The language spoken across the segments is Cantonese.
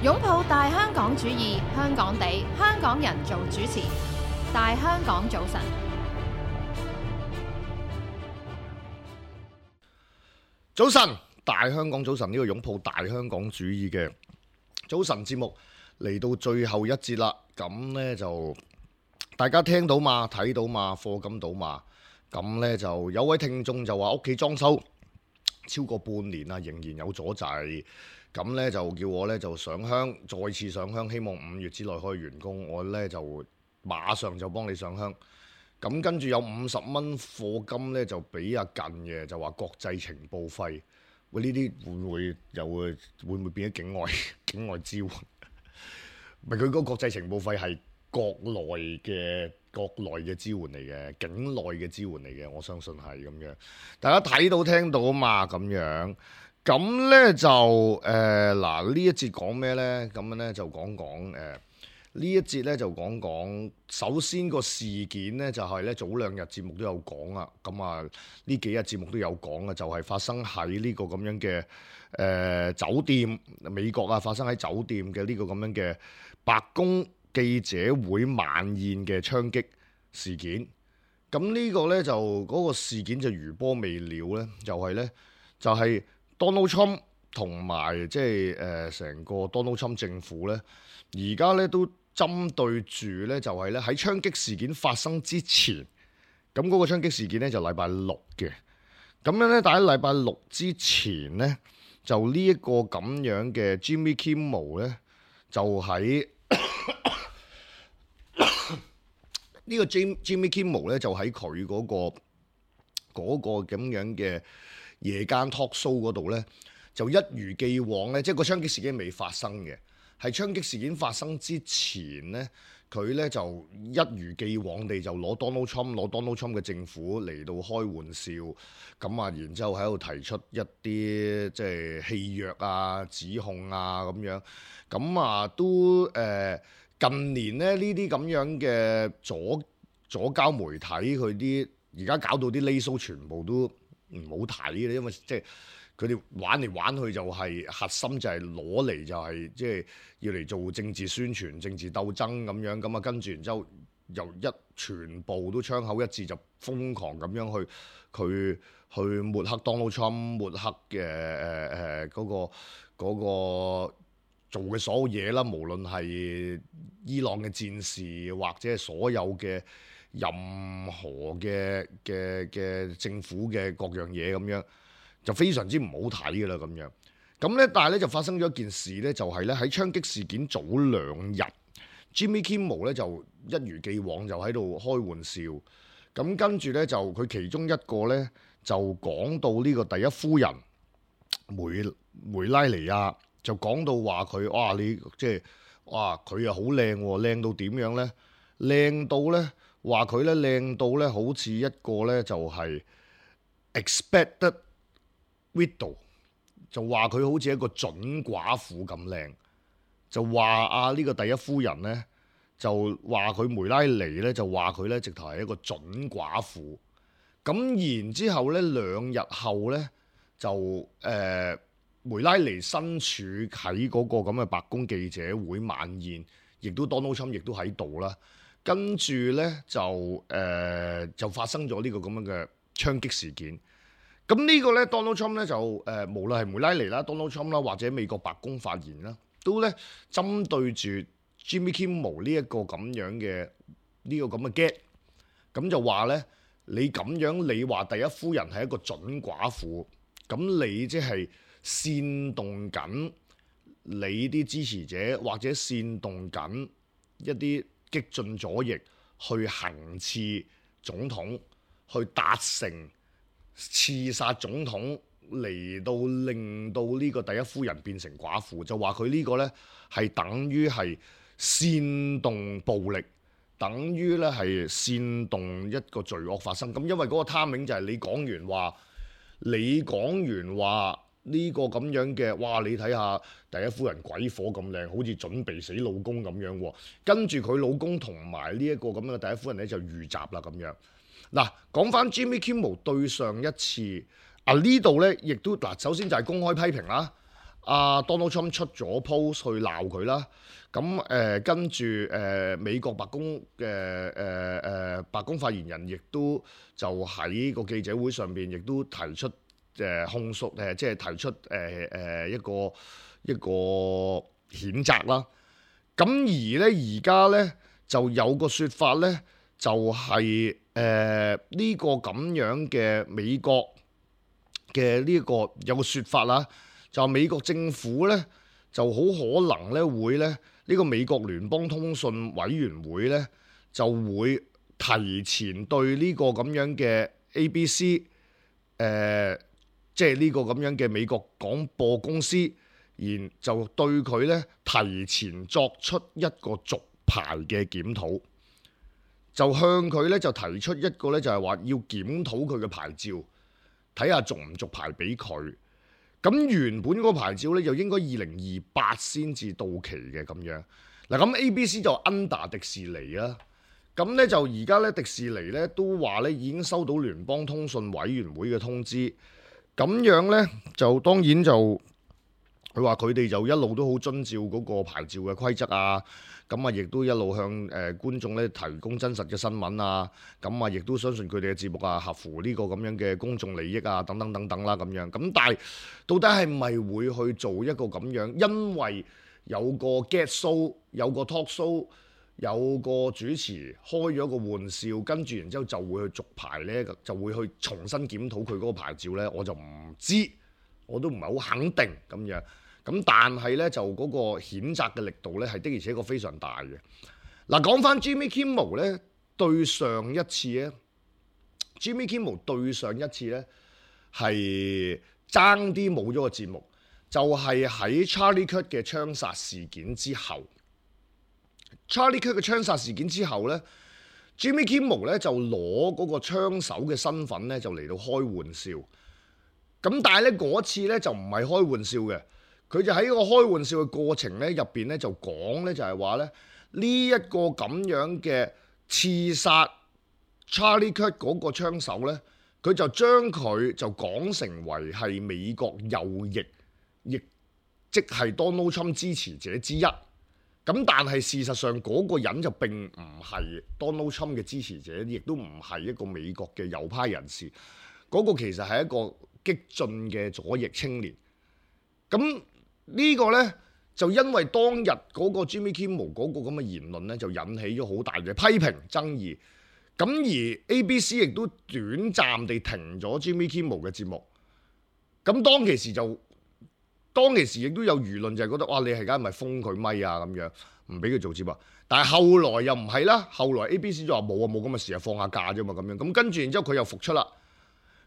擁抱大香港主義，香港地，香港人做主持。大香港早晨，早晨，大香港早晨，呢個擁抱大香港主義嘅早晨節目嚟到最後一節啦。咁呢就大家聽到嘛，睇到嘛，課金到嘛。咁呢就有位聽眾就話屋企裝修超過半年啦，仍然有阻滯。咁呢就叫我呢就上香，再次上香，希望5月之內可以完工。我呢就馬上就幫你上香。咁跟住有50蚊課金呢，就俾阿近嘅，就話國際情報費。喂，呢啲會唔會變咗境外支援？唔係，佢嗰個國際情報費係國內嘅支援嚟嘅，境內嘅支援嚟嘅，我相信係咁樣。大家睇到聽到啊嘛，咁樣。咁呢就嗱呢一節講咩呢？咁樣呢就講呢一節呢就講，首先個事件呢，就係呢早2日節目都有講啊。咁啊呢幾日節目都有講啊，就係發生喺呢個咁樣嘅酒店，美國啊，發生喺酒店嘅呢個咁樣嘅白宮記者會晚宴嘅槍擊事件。咁呢個呢，就嗰個事件就餘波未了呢，就係 Donald Trump 同埋即係成個 Donald Trump 政府呢，而家呢都針對住呢，就係呢喺槍擊事件發生之前，咁嗰個槍擊事件呢就禮拜6嘅，咁樣呢，但喺禮拜6之前呢，就呢一個咁樣嘅 Jimmy Kimmel 呢，就喺呢個 Jimmy Kimmel 呢，就喺佢嗰個咁樣嘅夜間 talk show 嗰度呢，就一如既往呢，即係個槍擊事件未發生嘅，係槍擊事件發生之前呢，佢呢就一如既往地就攞 Donald Trump 嘅政府嚟到開玩笑，咁啊，然之後喺度提出一啲即係戲謔啊、指控啊咁樣，咁啊都近年呢啲咁樣嘅左膠媒體佢啲而家搞到啲 lay show 全部都唔好睇嘅，因為即係佢哋玩嚟玩去就係核心就係攞嚟就係即係要嚟做政治宣傳、政治鬥爭咁樣，咁啊跟住然之後又全部都槍口一致就瘋狂咁樣去抹黑 Donald Trump， 抹黑嘅嗰個做嘅所有嘢啦，無論係伊朗嘅戰事或者係所有嘅任何嘅政府嘅各樣嘢咁樣，就非常之唔好睇㗎啦咁樣。咁咧，但係咧就發生咗一件事咧，就係咧喺槍擊事件早2日 ，Jimmy Kimmel 咧就一如既往就喺度開玩笑。咁跟住咧就佢其中一個咧就講到呢個第一夫人梅拉尼亞，就講到話佢哇你即係哇佢又好靚喎，靚到點樣咧？靚到咧〜話佢咧靚到咧，好似一個咧就係 expected widow， 就話佢好似一個準寡婦咁靚，就話呢個第一夫人咧，就話佢梅拉尼咧，就話佢咧直頭係一個準寡婦。咁然之後咧2日後咧就梅拉尼身處喺嗰個咁嘅白宮記者會晚宴，亦都 Donald Trump 亦都喺度啦。跟住咧就發生咗呢個咁樣嘅槍擊事件。咁呢個咧 Donald Trump 咧就無論係梅拉尼啦、Donald Trump 啦，或者美國白宮發言啦，都咧針對住 Jimmy Kimmel 呢一個咁樣嘅呢個咁嘅 get，咁就話咧你咁樣你話第一夫人係一個準寡婦，咁你即係煽動緊你啲支持者，或者煽動緊一啲激進左翼去行刺總統，去達成刺殺總統，嚟到令到呢個第一夫人變成寡婦，就話佢呢個呢係等於係煽動暴力，等於呢係煽動一個罪惡發生。咁因為嗰個 timing 就係你講完話。呢個咁樣嘅，哇！你睇下第一夫人鬼火咁靚，好似準備死老公咁樣喎。跟住佢老公同埋呢一個咁樣嘅第一夫人咧就遇襲啦咁樣。嗱，講翻 Jimmy Kimmel 對上一次呢度咧，亦都嗱，首先就係公開批評啦。Donald Trump 出咗 post 去鬧佢啦。咁跟住美國白宮嘅白宮發言人亦都就喺個記者會上邊亦都提出控訴即係提出一個譴責啦。咁而咧而家咧就有個説法咧，就係呢個咁樣嘅美國嘅呢個有個説法啦，就美國政府咧就好可能咧會咧呢個美國聯邦通訊委員會咧就會提前對呢個咁樣嘅 ABC 即係呢個咁樣嘅美國廣播公司，然就對佢咧提前作出一個續牌嘅檢討，就向佢咧就提出一個咧就係話要檢討佢嘅牌照，睇下續唔續牌俾佢。咁原本嗰個牌照咧就應該2028先至到期嘅咁樣。嗱，咁 ABC 就 under 迪士尼啦。咁咧就而家咧迪士尼咧都話咧已經收到聯邦通訊委員會嘅通知。咁樣咧就當然就佢話佢哋就一路都好遵照嗰個牌照嘅規則啊。咁啊，亦都一路向觀眾咧提供真實嘅新聞啊。咁啊，亦都相信佢哋嘅節目啊合乎呢個咁樣嘅公眾利益啊，等等等等啦咁樣。咁但係到底係咪會去做一個咁樣？因為有個 get show， 有個 talk show， 有個主持開咗個玩笑，跟住然之後就會去續牌咧，就會去重新檢討佢嗰個牌照咧，我就唔知，我都唔係好肯定咁樣。咁但係咧就嗰個譴責嘅力度咧係的而且確非常大嘅。嗱，講翻 Jimmy Kimmel 咧對上一次咧 ，Jimmy Kimmel 對上一次咧係爭啲冇咗個節目，就係喺 Charlie Kirk 嘅槍殺事件之後。Charlie Kirk 嘅槍殺事件之後咧 ，Jimmy Kimmel 咧就攞嗰個槍手嘅身份咧就嚟到開玩笑。咁但係咧嗰次咧就唔係開玩笑嘅。佢就喺個開玩笑嘅過程咧入邊咧就講咧就係話咧呢一個咁樣嘅刺殺 Charlie Kirk 嗰個槍手咧，佢就將佢就講成為係美國右翼，亦即係 Donald Trump 支持者之一。咁但係事實上嗰個人就並唔係 Donald Trump 嘅支持者，亦都唔係一個美國嘅右派人士。嗰個其實係一個激進嘅左翼青年。咁呢個呢，就因為當日嗰個 Jimmy Kimmel 嗰個咁嘅言論呢，就引起咗好大嘅批評爭議。咁而 ABC 亦都短暫地停咗 Jimmy Kimmel 嘅節目。咁當其時亦都有輿論就係覺得哇，你係梗係咪封佢咪啊咁樣，唔俾佢做節目。但係後來又唔係啦，後來 ABC 就話冇咁嘅事啊，放下假啫嘛咁樣。咁跟住然之後佢又復出啦。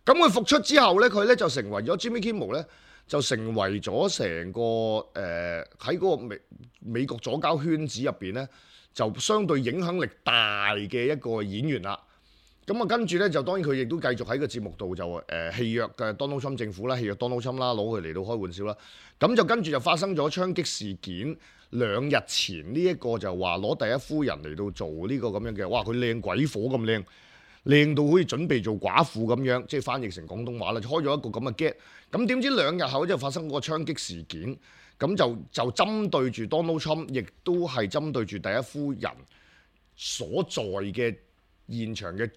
咁佢復出之後呢，佢呢就成為咗 Jimmy Kimmel 呢。就成為咗成個喺嗰個美國左膠圈子入邊咧，就相對影響力大嘅一個演員啦。咁啊，跟住咧就當然佢亦都繼續喺個節目度就戲約嘅 Donald Trump 政府啦，戲約 Donald Trump 啦，攞佢嚟到開玩笑啦。咁就跟住就發生咗槍擊事件。2日前呢一個就話攞第一夫人嚟到做呢個咁樣嘅，哇！佢靚鬼火咁靚。靚到好似準備做寡婦咁樣，即係翻譯成廣東話啦，就開咗一個咁嘅 get。咁點知2日後就發生嗰個槍擊事件，咁就針對住 Donald Trump，亦都係針對住第一夫人所在嘅現場嘅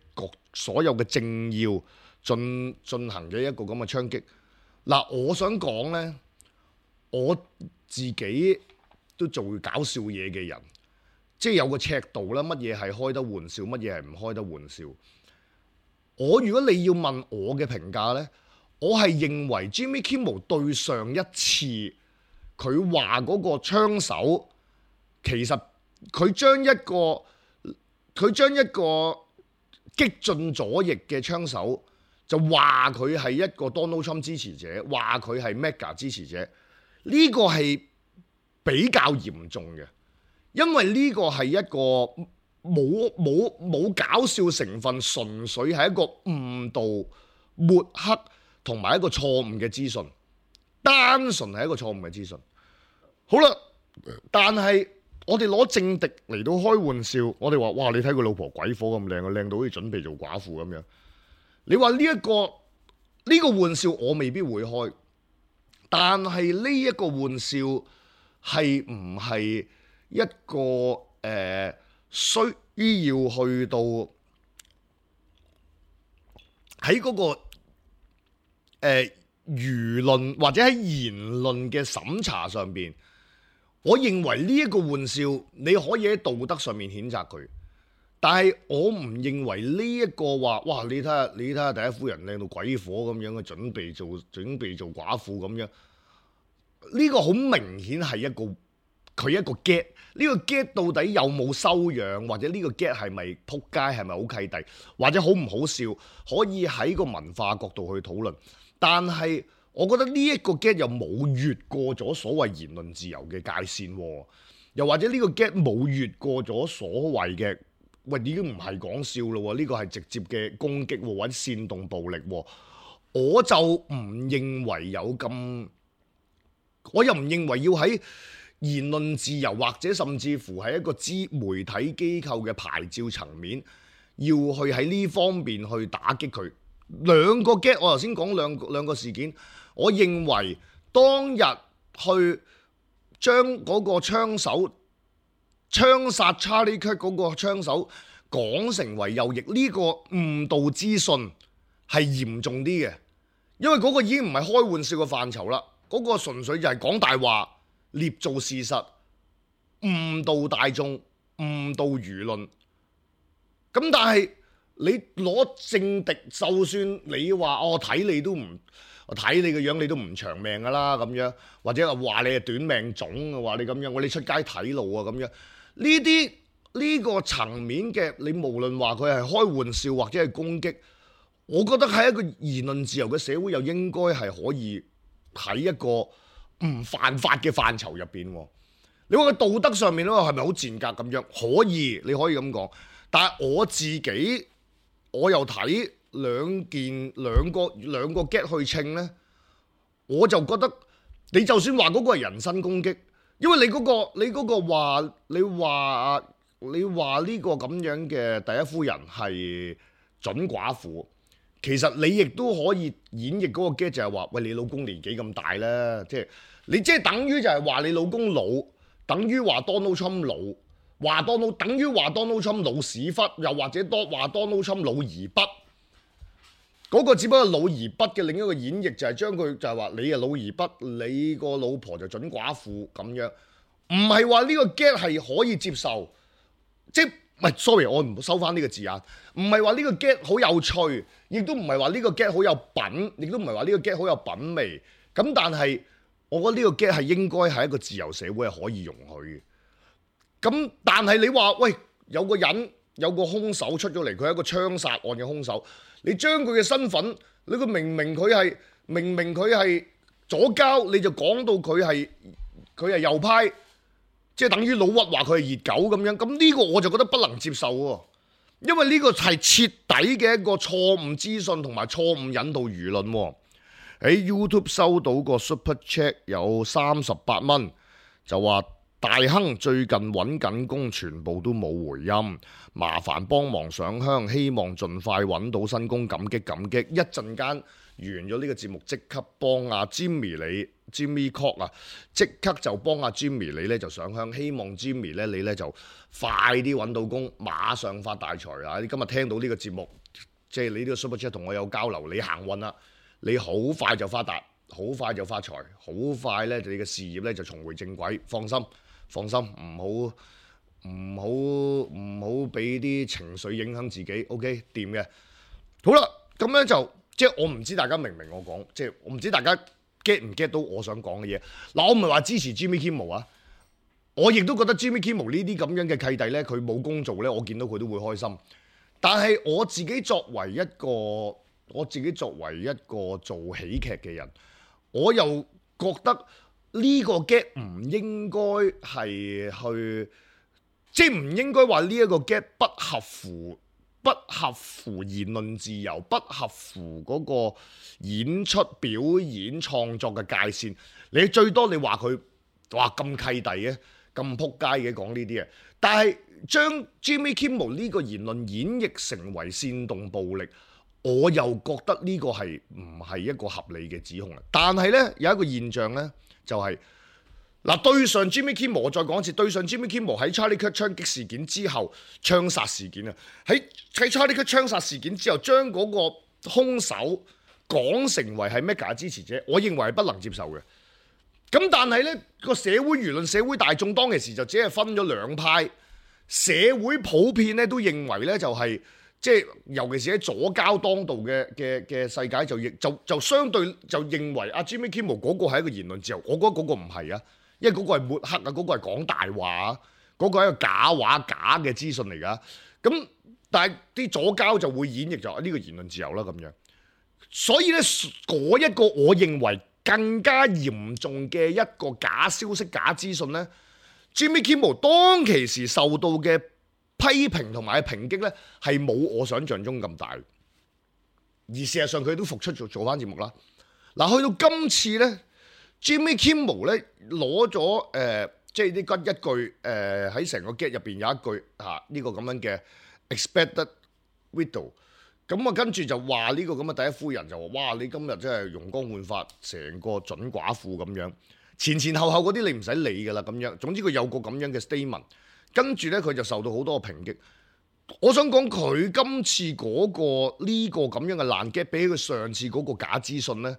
所有嘅政要進行嘅一個咁嘅槍擊。嗱，我想講呢，我自己都做搞笑嘢嘅人，即係有個尺度啦，乜嘢係開得玩笑，乜嘢係唔開得玩笑。如果你要問我嘅評價呢，我係認為 Jimmy Kimmel 對上一次佢話嗰個槍手，其實佢將一個激進左翼嘅槍手就話佢係一個 Donald Trump 支持者，話佢係 MAGA 支持者，呢個係比較嚴重嘅，因為呢個係一個冇搞笑成分，純粹係一個誤導、抹黑同埋一個錯誤嘅資訊，單純係一個錯誤嘅資訊。好啦，但係我哋攞政敵嚟到開玩笑，我哋話哇，你睇佢老婆鬼火咁靚啊，靚到好似準備做寡婦咁樣。你話呢個玩笑我未必會開，但係呢一個玩笑係唔係一個需要去到喺嗰個輿論或者喺言論嘅審查上邊，我認為呢一個玩笑你可以喺道德上面譴責佢，但係我唔認為呢一個話，哇！你睇下第一夫人靚到鬼火咁樣嘅，準備做寡婦咁樣，呢個好明顯係佢一個 get。呢個 get 到底有冇修養，或者呢個 get 係咪撲街，係咪好契弟，或者好唔好笑，可以喺個文化角度去討論。但係我覺得呢一個 get 又冇越過咗所謂言論自由嘅界線喎，又或者呢個 get 冇越過咗所謂嘅，喂，已經唔係講笑咯，呢個係直接嘅攻擊或者煽動暴力喎。我就唔認為有咁，我又唔認為要喺言論自由或者甚至乎係一個媒體機構嘅牌照層面，要去喺呢方面去打擊佢。兩個 get， 我頭先講兩個事件，我認為當日去將嗰個槍殺 Charlie Kirk 嗰個槍手講成為右翼，呢個誤導資訊係嚴重啲嘅，因為嗰個已經唔係開玩笑嘅範疇啦，嗰個純粹就係講大話，捏造事實，誤導大眾，誤導輿論。咁但係你攞政敵，就算你話我睇你都唔，我睇你個樣你都唔長命噶啦咁樣，或者話你係短命種，話你咁樣，我哋出街睇路啊咁樣，呢個層面嘅，你無論話佢係開玩笑或者係攻擊，我覺得喺一個言論自由嘅社會，又應該係可以喺一個唔犯法嘅範疇入邊。你話佢道德上面咧係咪好賤格咁樣？可以，你可以咁講。但係我自己，我又睇兩個 get 去稱呢，我就覺得你就算話嗰個係人身攻擊，因為你嗰個話你話呢個咁樣嘅第一夫人係準寡婦，其實你亦都可以演繹嗰個 get 就係話，喂，你老公年紀咁大啦，即係你即係等於就係話你老公老，等於話 Donald Trump 老。等於話 Donald Trump 老屎忽，又或者話 Donald Trump 老而不，嗰個只不過老而不嘅另一個演繹就係將佢就係話你係老而不，你個老婆就準寡婦咁樣，唔係話呢個 get 係可以接受，即係唔係 sorry 我唔收翻呢個字眼，唔係話呢個 get 好有趣，亦都唔係話呢個 get 好有品，亦都唔係話呢個 get 好有品味，咁但係我覺得呢個 get 係應該係一個自由社會係可以容許嘅。咁但係你話喂，有個人有個兇手出咗嚟，佢係一個槍殺案嘅兇手，你將佢嘅身份，你個明明佢係左膠，你就講到佢係右派，即係等於老屈話佢係熱狗咁樣，咁呢個我就覺得不能接受喎，因為呢個係徹底嘅一個錯誤資訊同埋錯誤引導輿論喎。喺 YouTube 收到個 Super Chat 有38蚊，就話大亨最近揾緊工，全部都冇回音，麻煩幫忙上香，希望盡快揾到新工，感激感激。一陣間完咗呢個節目，即刻幫阿 Jimmy Cock 啊，即刻就幫阿 Jimmy 你咧就上香，希望 Jimmy 咧你咧就快啲揾到工，馬上發大財啊！你今日聽到呢個節目，即係你呢個 Super Chat 同我有交流，你行運啦，你好快就發達，好快就發財，好快咧你嘅事業咧就重回正軌，放心。唔好俾啲情緒影響自己 ，OK 掂嘅。好啦，咁樣就即係我唔知大家明唔明我講，即係我唔知大家 get 唔 get 到我想講嘅嘢。嗱，我唔係話支持 Jimmy Kimmel 啊，我亦都覺得 Jimmy Kimmel 呢啲咁樣嘅契弟咧，佢冇工做咧，我見到佢都會開心。但係我自己作為一個做喜劇嘅人，我又覺得呢個 get 唔應該係去，即係唔應該話呢一個 get 不合乎言論自由，不合乎嗰個演出表演創作嘅界線。你最多你話佢哇咁契弟嘅，咁撲街嘅講呢啲嘢，但係將 Jimmy Kimmel 呢個言論演繹成為煽動暴力，我又覺得呢個係唔係一個合理嘅指控啊？但係呢，有一個現象呢，就係、嗱，對上 Jimmy Kimmel， 我再講一次，對上 Jimmy Kimmel 喺 Charlie Kirk 槍擊事件之後，槍殺事件啊，喺 Charlie Kirk 槍殺事件之後，將嗰個兇手講成為係 MAGA 支持者，我認為係不能接受嘅。咁但係呢個社會輿論、社會大眾當其時就只係分咗兩派，社會普遍咧都認為呢就係即係，尤其是喺左膠當道嘅世界就相對就認為阿 Jimmy Kimmel 嗰個係一個言論自由，我覺得嗰個唔係啊。因為嗰個係抹黑啊，嗰個係講大話啊，嗰個係一個假話、假嘅資訊嚟㗎。咁但係啲左膠就會演繹就呢個言論自由啦咁樣。所以咧，嗰一個我認為更加嚴重嘅一個假消息、假資訊咧，Jimmy Kimmel 當其時受到嘅批評同埋抨擊咧，係冇我想象中咁大。而事實上佢都復出做翻節目啦。嗱，去到今次咧。Jimmy Kimmel 咧攞咗即係呢一句喺成個 get 入邊有一句呢個咁樣嘅 expected widow， 咁啊跟住就話呢個咁嘅第一夫人就話：哇！你今日真係容光煥發，成個準寡婦咁樣，前後嗰啲你唔使理㗎啦咁樣。總之佢有個咁樣嘅 statement， 跟住咧佢就受到好多嘅抨擊。我想講佢今次嗰個呢個咁樣嘅爛 get，比起佢上次嗰個假資訊咧，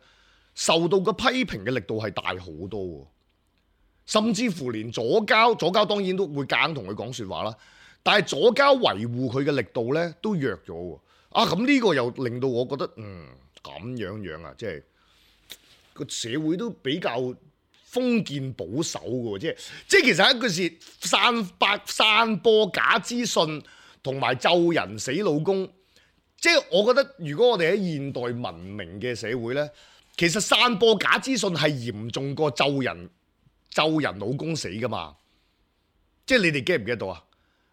受到嘅批評嘅力度係大好多喎，甚至乎連左膠當然都會硬同佢講説話啦，但係左膠維護佢嘅力度咧都弱咗喎。咁呢個又令到我覺得咁樣啊，即係個社會都比較封建保守嘅喎，即係其實一句是散播假資訊同埋咒人死老公，即係我覺得如果我哋喺現代文明嘅社會咧。其實散播假資訊係嚴重過咒人老公死噶嘛，即係你哋 get 唔 get 到啊？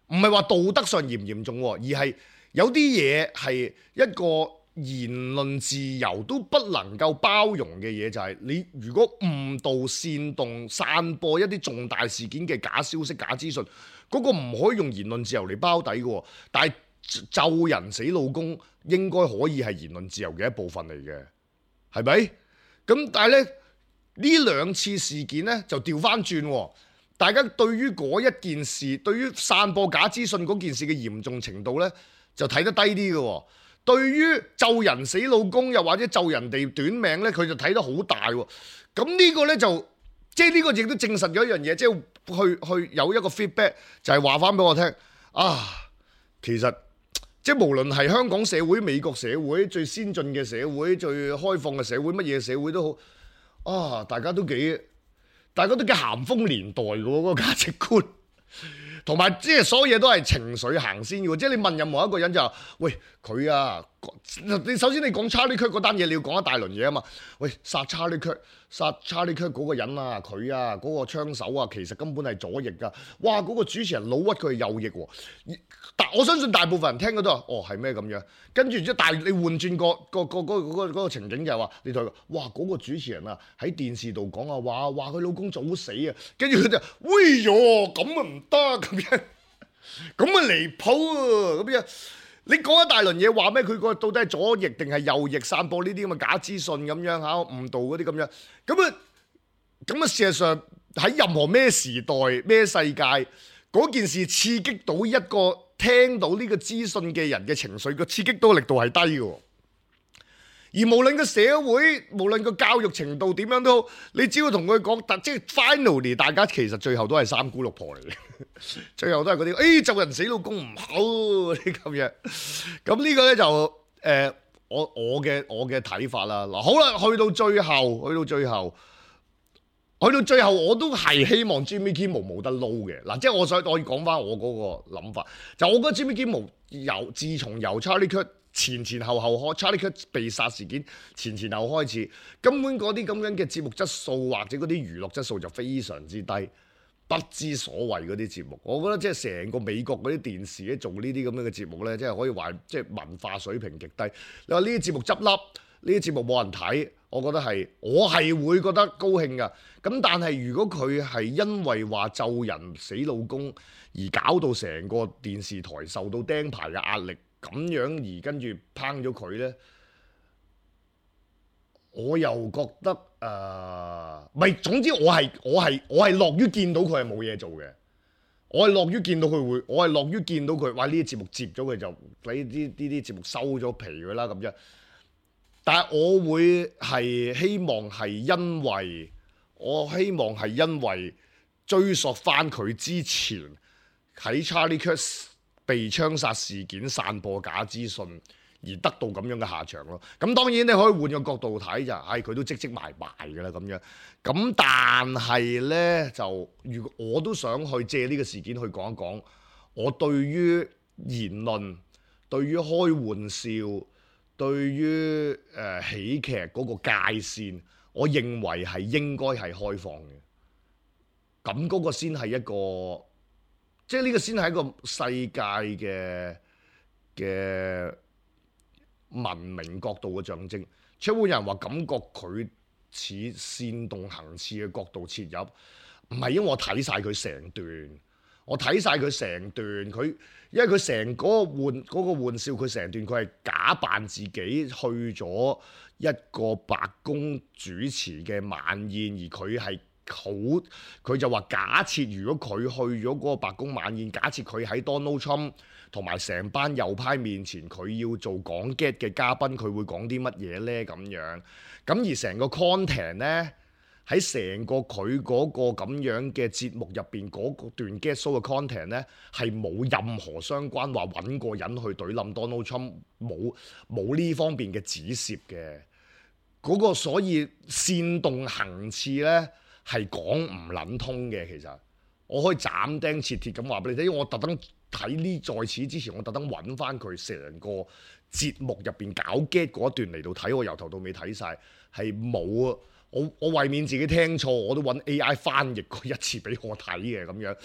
唔係話道德上嚴唔嚴重，而係有啲嘢係一個言論自由都不能夠包容嘅嘢，就係你如果誤導、煽動、散播一啲重大事件嘅假消息、假資訊，嗰個唔可以用言論自由嚟包底嘅，但係咒人死老公應該可以係言論自由嘅一部分嚟嘅。係咪？咁但係咧呢兩次事件咧就調翻轉，大家對於嗰一件事，對於散播假資訊嗰件事嘅嚴重程度咧就睇得低啲嘅。對於咒人死老公又或者咒人哋短命咧，佢就睇得好大。咁呢個咧就即係呢個亦都證實咗一樣嘢，即係去有一個 feedback 就係話翻俾我聽其實。即係無論係香港社會、美國社會、最先進嘅社會、最開放嘅社會，乜嘢社會都好，大家都幾鹹豐年代嘅喎，嗰個價值觀，同埋即係所有嘢都係情緒行先嘅喎。即係你問任何一個人就話：喂，佢啊，你首先你講 Charlie Kirk 嗰單嘢，你要講一大輪嘢啊嘛。喂，殺 Charlie Kirk 嗰個人啊，佢啊嗰個槍手啊，其實根本係左翼㗎。哇，嗰個主持人老屈佢係右翼喎。但我相信大部分人聽嗰都話：哦，係咩咁樣？跟住但係你換轉嗰個情景就係話，你同佢：哇，嗰個主持人啊喺電視度講啊，話佢老公早死啊，跟住佢就：喂喲，咁啊唔得咁樣，咁啊離譜啊咁樣。你講一大輪嘢話咩？佢個到底係左翼定係右翼散播呢啲咁嘅假資訊咁樣誤導嗰啲咁樣，咁啊事實上喺任何咩時代咩世界，嗰件事刺激到一個聽到呢個資訊嘅人嘅情緒，個刺激到力度係低嘅。而無論個社會，無論個教育程度點樣都好，你只要同佢講，即係 finally 大家其實最後都係三姑六婆嚟嘅，最後都係嗰啲，咒人死老公唔好啲咁樣。咁呢個咧就我嘅睇法啦。嗱，好啦，去到最後我都係希望 Jimmy Kimmel 冇得撈嘅。嗱，即係我要講翻我嗰個諗法，就我覺得 Jimmy Kimmel 自從由 Charlie Kirk 前後開 Charlie Kirk 被殺事件前後開始，根本嗰啲咁樣嘅節目質素或者嗰啲娛樂質素就非常之低，不知所謂嗰啲節目。我覺得即係成個美國嗰啲電視咧做呢啲咁樣嘅節目咧，即係可以話即係文化水平極低。你話呢啲節目執笠，呢啲節目冇人睇，我係會覺得高興㗎。咁但係如果佢係因為話咒人死老公而搞到成個電視台受到釘牌嘅壓力，咁樣而跟住烹咗佢咧，我又覺得唔係，總之我係樂於見到佢係冇嘢做嘅。我係樂於見到佢會，我係樂於見到佢，哇！呢啲節目接咗佢就俾呢啲節目收咗皮佢啦咁樣。但係我會係希望係因為追溯翻佢之前喺 Charlie Kirk 被槍殺事件散播假資訊而得到咁樣嘅下場咯。咁當然你可以換個角度睇就係佢都積埋㗎啦咁樣。咁但係呢，就如果我都想去借呢個事件去講一講我對於言論、對於開玩笑、對於喜劇嗰個界線，我認為係應該係開放嘅。咁嗰個先係一個，即係呢個先係一個世界嘅文明角度嘅象徵。出會有人話感覺佢似煽動行刺嘅角度切入，唔係因為我睇晒佢成段，因為佢成嗰個玩笑，佢成段佢係假扮自己去咗一個白宮主持嘅晚宴，而佢就話假設如果佢去咗嗰個白宮晚宴，假設佢喺 Donald Trump 同埋成班右派面前，佢要做講 get 嘅嘉賓，佢會講啲乜嘢呢？咁樣，咁而成個 content 呢，喺成個佢嗰個咁樣嘅節目入邊嗰段 get show 嘅 content 呢，係冇任何相關話揾個人去懟冧 Donald Trump，冇呢方面嘅指涉嘅。嗰個所以煽動行刺呢，係講唔撚通嘅。其實我可以斬釘截鐵咁話俾你聽，因為我特登睇呢，在此之前我特登揾翻佢成個節目入邊搞 get 嗰一段嚟到睇，我由頭到尾睇晒，係冇啊！我為免自己聽錯，我都揾 AI 翻譯過一次俾我睇嘅咁樣，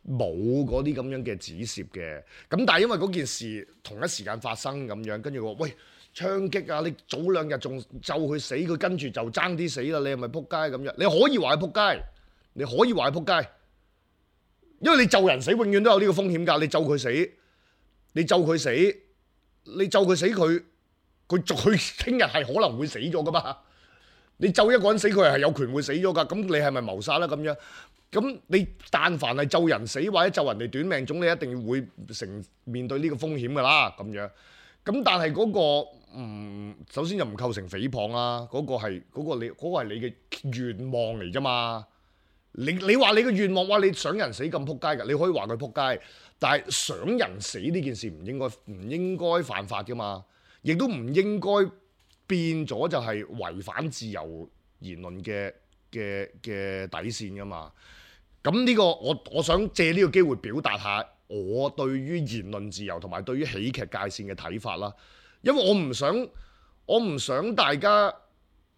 冇嗰啲咁樣嘅指涉嘅。咁但係因為嗰件事同一時間發生咁樣，跟住我話喂，槍擊啊！你早兩日仲咒佢死，佢跟住就爭啲死啦！你係咪撲街咁樣？你可以話佢撲街，你可以話佢撲街，因為你咒人死永遠都有呢個風險㗎。你咒佢死，佢聽日係可能會死咗㗎嘛。你咒一個人死，佢係有權會死咗㗎。咁你係咪謀殺啦？咁樣，咁你但凡係咒人死或者咒人哋短命種，你一定會面對呢個風險㗎啦。咁樣，咁但係嗰個首先就唔構成誹謗啦。嗰個係你嘅願望嚟啫嘛。你話你嘅願望，哇！你想人死咁撲街㗎，你可以話佢撲街。但係想人死呢件事唔應該犯法㗎嘛，亦都唔應該變咗就係違反自由言論嘅底線㗎嘛。咁呢個我想借呢個機會表達下我對於言論自由同埋對於喜劇界線嘅睇法啦。因為我唔想大家，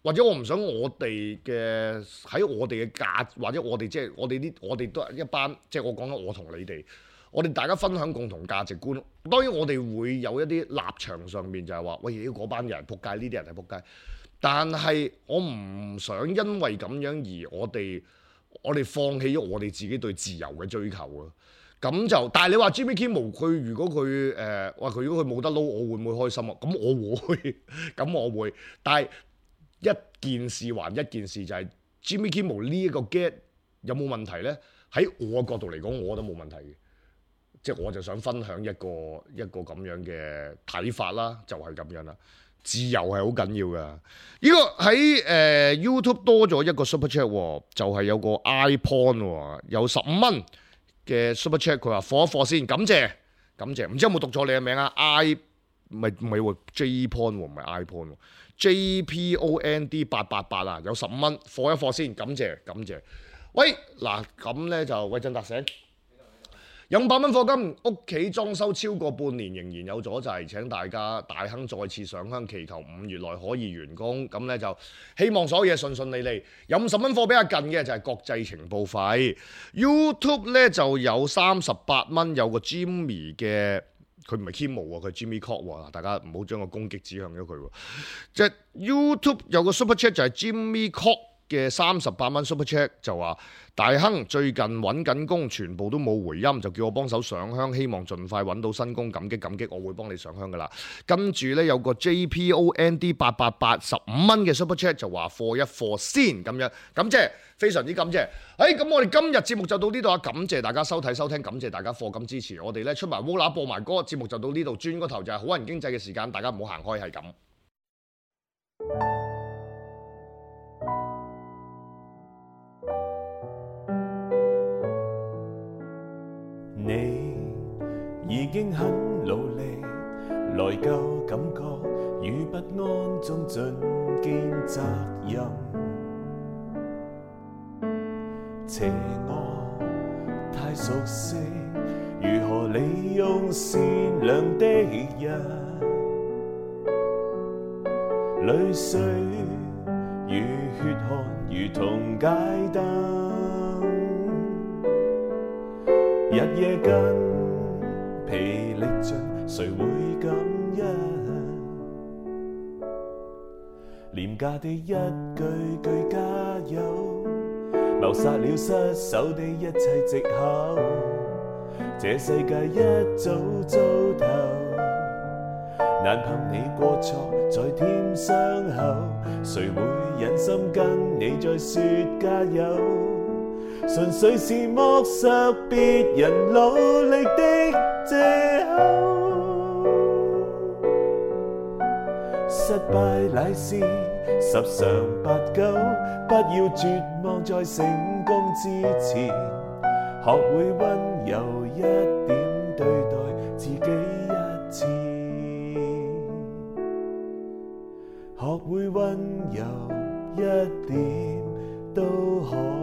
或者我唔想我哋嘅喺我哋嘅價，或者我哋即係我哋都係一班，即係我講緊我同你哋，我哋大家分享共同價值觀。當然我哋會有一啲立場上面就係話，喂，嗰班人係撲街，呢啲人係撲街。但係我唔想因為咁樣而我哋放棄咗我哋自己對自由嘅追求啊。咁就，但係你話 Jimmy Kimmel 佢如果佢冇得撈，我會唔會開心啊？咁我會，但係一件事還一件事，就係 Jimmy Kimmel 呢一個 get 有冇問題呢？喺我嘅角度嚟講，我覺得冇問題嘅。即係我就想分享一個咁樣嘅睇法啦，就係咁樣啦。自由係好緊要㗎。呢個喺YouTube 多咗一個 Super Chat，就係有個 iPon 有15蚊嘅 Super Chat，佢話課一課先，感謝，唔知有冇讀錯你嘅名啊唔係喎 Jpon 唔係 iPon，JPOND 888啊，有15蚊，課一課先，感謝。喂，嗱咁咧就喂振達醒。有500蚊課金，屋企裝修超過半年仍然有阻滯，請大家大亨再次上香祈求5月內可以完工。咁咧就希望所有嘢順順利利。有50蚊課比較近嘅就係國際情報費。YouTube 咧就有38蚊，有個 Jimmy 嘅，佢唔係 Kimmel 喎，佢係 Jimmy Cock 喎。大家唔好將個攻擊指向咗佢喎。即係 YouTube 有個 Super Chat 就係 Jimmy Cock 嘅38蚊 Super Chat 就話大亨最近揾緊工，全部都冇回音，就叫我幫手上香，希望盡快揾到新工，感激感激，我會幫你上香噶啦。跟住呢，有個 JPOND888 15蚊嘅 Super Chat 就話貨一貨先咁樣，感謝非常之感謝。咁我哋今日節目就到呢度啊，感謝大家收睇收聽，感謝大家課金支持我哋呢，出埋 Vola 播埋歌，節目就到呢度，轉個頭就係好人經濟嘅時間，大家唔好行開，係咁。你已經很努力，內疚感覺與不安中盡肩責任，邪惡太熟悉，如何利用善良的人，淚水與血汗如同街燈，日夜筋疲力盡，誰會感恩？廉價的一句句加油，謀殺了失手的一切藉口。這世界一早糟透，難憑你過錯再添傷口，誰會忍心跟你再說加油？純粹是剝削別人努力的藉口，失敗乃是10常8九，不要絕望在成功之前，學會溫柔一點對待自己一次，學會溫柔一點都可。